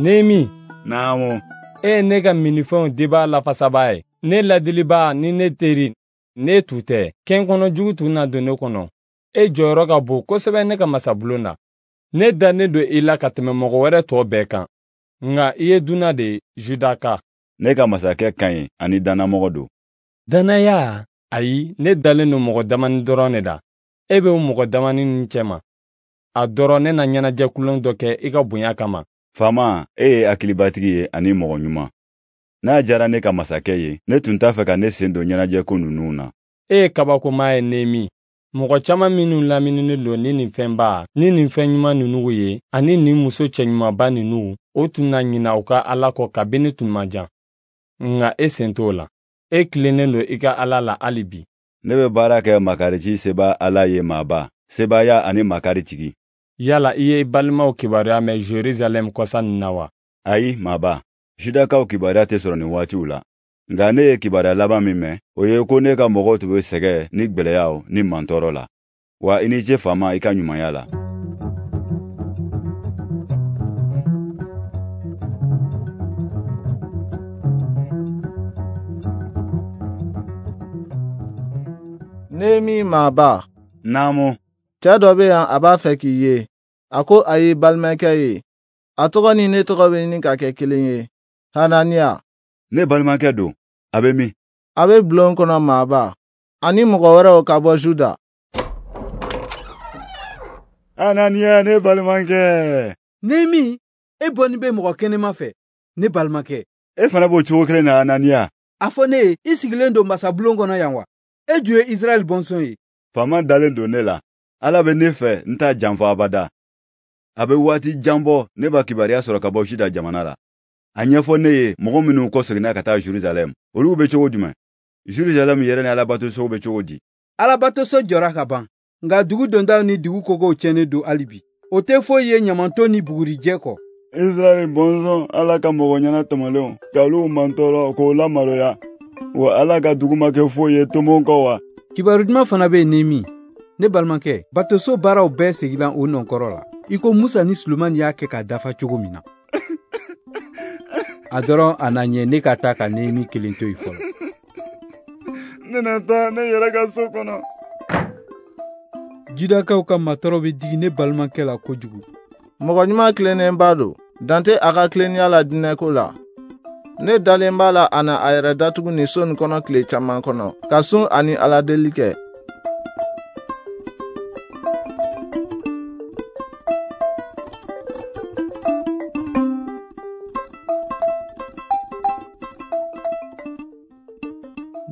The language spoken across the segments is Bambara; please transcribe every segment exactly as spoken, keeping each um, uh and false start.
Nehemi. Naamu. E ye ne ka minifɛnw dibaa lafasabaa ye, ne ladilibaa ni ne teri, ne tun tɛ. Kɛn kɔnɔ jugu tun na don ne kɔnɔ. E jɔyɔrɔ ka bon kosɛbɛ ne ka masabulon na. Ne dannen don i la ka tɛmɛ mɔgɔ wɛrɛ tɔ bɛɛ kan. Nka i ye dunan de ye, Judaka. Ne ka masakɛ ka ɲi ani dannamɔgɔ don. Dannaya? Ayi, ne dalen don mɔgɔ damani dɔrɔn de la. E bɛ o mɔgɔ damani ninnu cɛma. A dɔrɔn ne na ɲɛnajɛ kulon dɔ kɛ i ka bonya kama. Faama, e ye hakilibatigi ye ani mɔgɔ ɲuman. N'a diyara ne ka masakɛ ye, ne tun t'a fɛ ka ne sen don ɲɛnajɛko ninnu na. E ye kabakoma ye, Nehemi. Mɔgɔ caman minnu lamininen don ni nin fɛnba ni nin fɛn ɲuman ninnu ye, ani nin muso cɛɲumanba ninnu, o tun na ɲina u ka Ala kɔ kabini tun man jan. Nka e sen t'o la. E tilennen don i ka Ala la hali bi. Ne bɛ baara kɛ makarici seba Ala ye maaba, sebaaya ani makari tigi. Yala i ye i balimaw kibaruya mɛn Jerusalɛm kɔsa nin na wa? Ayi, maaba. Judakaw kibaruya tɛ sɔrɔ nin waatiw la. Nka ne ye kibaruya laban min mɛn, o ye ko ne ka mɔgɔw tun bɛ sɛgɛn ni gwɛlɛyaw ni mantɔɔrɔ la. Wa i ni ce faama i ka ɲumanya la. Nehemi maaba. Naamu. Cɛ dɔ bɛ yan, a b'a fɛ k'i ye. A ko a y'i balimakɛ ye. A tɔgɔ ni ne tɔgɔ bɛ ɲini ka kɛ kelen ye. Hananiya. Ne balimakɛ don. A bɛ min? A bɛ bulon kɔnɔ maaba. Ani mɔgɔ wɛrɛw ka bɔ Juda. Hananiya, ne balimakɛ. Nehemi, e bɔnni bɛ mɔgɔ kɛnɛma fɛ, ne balimakɛ. E fana b'o cogo kelen na, Hananiya. A fɔ ne ye, i sigilen don masabulon kɔnɔ yan wa? E ju ye Israɛl bɔnsɔn ye. Faama dalen don ne la. Ala bɛ ne fɛ, n t'a janfa abada. A bɛ waati jan bɔ, ne b'a kibaruya sɔrɔ ka bɔ Juda jamana la. A ɲɛfɔ ne ye mɔgɔ minnu kɔseginna ka taa Jerusalɛm, olu bɛ cogo jumɛn? Jerusalɛm yɛrɛ ni Alabatoso bɛ cogo di? Alabatoso jɔra ka ban, nka dugu dondaw ni dugu kogow tiɲɛnen don hali bi. O tɛ foyi ye ɲamanton ni bugurijɛ kɔ. Israɛl bɔnsɔn, Ala ka mɔgɔ ɲɛna tɔmɔlenw, ka olu mantɔɔrɔ k'o lamaloya. Wa Ala ka dugu ma kɛ foyi ye tomon kɔ wa? Kibaru duman fana bɛ yen, Nehemi. Ne balimakɛ, batoso baaraw bɛɛ seginna o nɔnkɔrɔ la, i ko Musa ni Sulemani y'a kɛ k'a dafa cogo min na. A dɔrɔn a na ɲɛ ne ka taa ka Nehemi kelen to yen fɔlɔ. Ne na taa ne yɛrɛ ka so kɔnɔ. Judakaw ka matɔrɔ bɛ digi ne balimakɛ la kojugu. Mɔgɔ ɲuman tilennenba don, dan tɛ a ka tilennenya la diinɛko la. Ne dalen b'a la a na a yɛrɛ datugu nin so nin kɔnɔ tile caman kɔnɔ, ka sun ani Ala deli kɛ.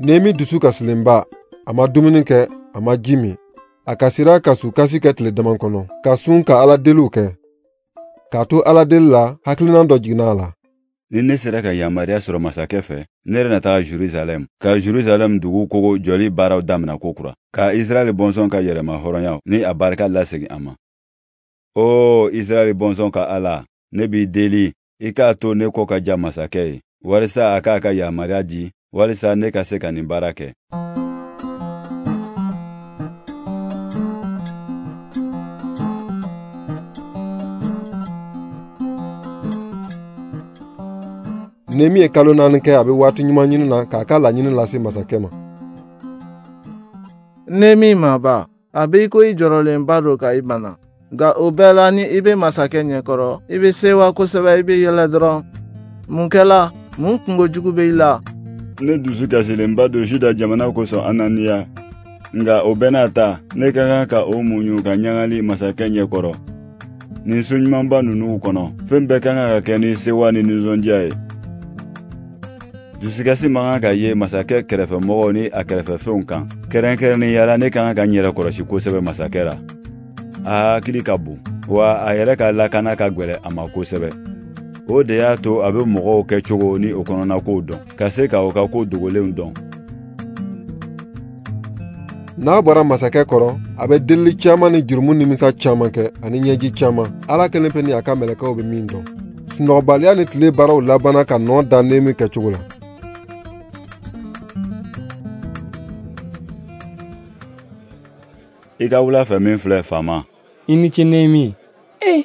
Nehemi dusu kasilenba, a ma dumuni kɛ, a ma ji min. A kasira ka sukasi kɛ tile dama kɔnɔ, ka sun ka Ala deliw kɛ. K'a to Ala deli la, hakilina dɔ jiginna a la. Ni ne sera ka yamaruya sɔrɔ masakɛ fɛ, ne yɛrɛ na taga Jerusalɛm, ka Jerusalɛm dugu kogo jɔli baaraw damina kokura, ka Israɛl bɔnsɔn ka yɛrɛma hɔrɔnya ni a barika lasegin a ma. O Israɛl bɔnsɔn ka Ala, ne b'i deli, i k'a to ne kɔ ka ja masakɛ ye, walisa a k'a ka yamaruya di, walisa ne ka se ka nin baara kɛ. Nehemi ye kalo naani kɛ a bɛ waati ɲuman ɲini na k'a ka laɲini lase masakɛ ma. Nehemi maaba, a bɛ i ko i jɔrɔlenba don ka i bana. Nka o bɛɛ la, ni i bɛ masakɛ ɲɛkɔrɔ, i bɛ sewa kosɛbɛ, i bɛ yɛlɛ dɔrɔn. Mun kɛla? Mun kungo jugu bɛ i la? Ne dusu kasilenba don Juda jamana kosɔn, Ananiya. Nka o bɛɛ n'a ta, ne ka kan ka o muɲu ka ɲagali masakɛ ɲɛkɔrɔ. Nin so ɲumanba ninnu kɔnɔ, fɛn bɛɛ ka kan ka kɛ ni sewa ni nisɔndiya ye. Dusukasi man kan ka ye masakɛ kɛrɛfɛmɔgɔw ni a kɛrɛfɛfɛnw kan. Kɛrɛnkɛrɛnnenya la, ne ka kan ka n yɛrɛ kɔlɔsi kosɛbɛ masakɛ la. A hakili ka bon, wa a yɛrɛ ka lakana ka gwɛlɛ a ma kosɛbɛ. O de y'a to a bɛ mɔgɔw kɛcogo ni o kɔnɔnakow dɔn, ka se ka o ka ko dogolenw dɔn. N'a bɔra masakɛ kɔrɔ, a bɛ delili caman ni jurumu nimisa caman kɛ ani ɲɛji caman. Ala kelen pe ni a ka mɛlɛkɛw bɛ min dɔn. Sunɔgɔbaliya ni tile baaraw labanna ka nɔ da Nehemi kɛcogo la. I ka wula fɛ min filɛ, faama. I ni ce, Nehemi. E,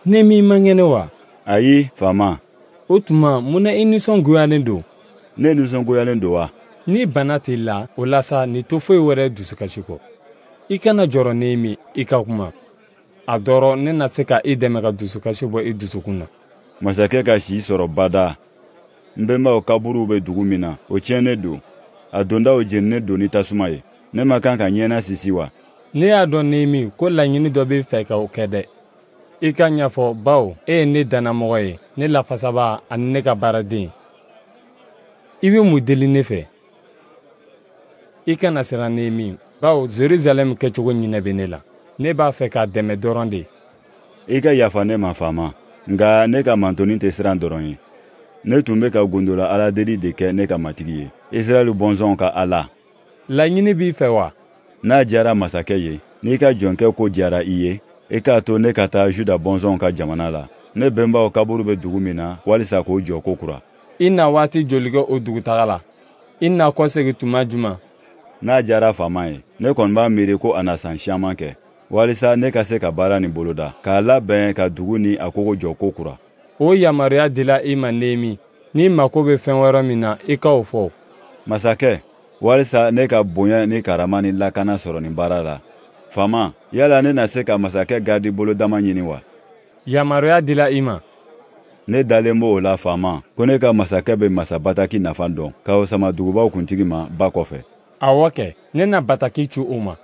Nehemi man kɛnɛ wa? Ayi, faama. O tuma, mun na i nisɔngoyalen don? Ne nisɔngoyalen don wa? Ni bana t'i la, o la sa, nin to foyi wɛrɛ dusukasi kɔ. I kana jɔrɔ Nehemi, i ka kuma. A dɔrɔ ne na se ka i dɛmɛ ka dusukasi bɔ i dusukun na. Masakɛ ka si sɔrɔ bada. N bɛnbaw kaburuw bɛ dugu min na, o tiɲɛnen don. A dondaw jeninen don ni tasuma ye. Ne ma kan ka ɲɛna sisi wa? Ne y'a dɔn Nehemi ko laɲini dɔ b'i fɛ ka o kɛ dɛ. I ka ɲɛfɔ bawo e ye ne dannamɔgɔ ye, ne lafasabaa ani ne ka baaraden. I bɛ mun deli ne fɛ? I kana siran Nehemi, bawo Jerusalɛm kɛcogo ɲinɛ bɛ ne la. Ne b'a fɛ k'a dɛmɛ dɔrɔn de. I ka yafa ne ma faama, nka ne ka mantoni tɛ siran dɔrɔn ye. Ne tun bɛ ka gondola Ala deli de kɛ ne ka matigi ye, Israɛl bɔnsɔnw ka Ala. Laɲini b'i fɛ wa? N'a diyara masakɛ ye, n'i ka jɔnkɛ ko diyara i ye, i k'a to ne ka taa Juda bɔnsɔnw ka jamana la. Ne bɛnbaw kaburu bɛ dugu min na, walisa k'o jɔ ko kura. I na waati joli kɛ o dugutaga la? I na kɔsegin tuma jumɛn? N'a diyara faama ye, ne kɔni b'a miiri ko a na san siaman kɛ, walisa ne ka se ka baara nin boloda, k'a labɛn ka dugu ni a kogo jɔ ko kura. O yamaruya dila i ma Nehemi. N'i mako bɛ fɛn wɛrɛ min na, i ka o fɔ. Masakɛ, walisa ne ka bonya ni karama ni lakana sɔrɔ nin baara la. Faama, yala ne na se ka masakɛ garidi bolodama ɲini wa? Yamaruya dila i ma. Ne dalen b'o la faama, ko ne ka masakɛ bɛ masa bataki nafa dɔn, k'o sama dugubaw kuntigi ma ba kɔfɛ. Awɔ kɛ, ne na bataki ci o ma.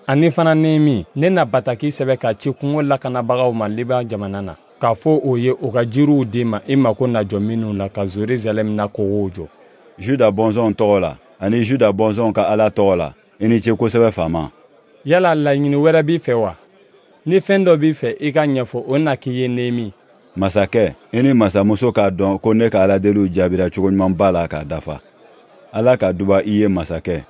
Ani fana Nehemi, ne na bataki sɛbɛn ka ci kungo lakanabagaw ma Liban jamana na, k'a fɔ o ye o ka jiriw d'i ma i mako na jɔ minnu la ka Jerusalɛm na kogow jɔ. Juda bɔnsɔnw tɔgɔ la, ani Juda bɔnsɔnw ka Ala tɔgɔ la, i ni ce kosɛbɛ faama. Yala laɲini wɛrɛ b'i fɛ wa? Ni fɛn dɔ b'i fɛ, i ka ɲɛfɔ, o na k'i ye Nehemi. Masakɛ, i ni masamuso k'a dɔn ko ne ka Aladeliw jaabira cogo ɲumanba la k'a dafa. Ala ka duba i ye masakɛ.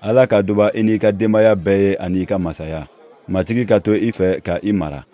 Ala ka duba i n'i ka denbaya bɛɛ ye ani i ka masaya. Matigi ka to i fɛ ka i mara.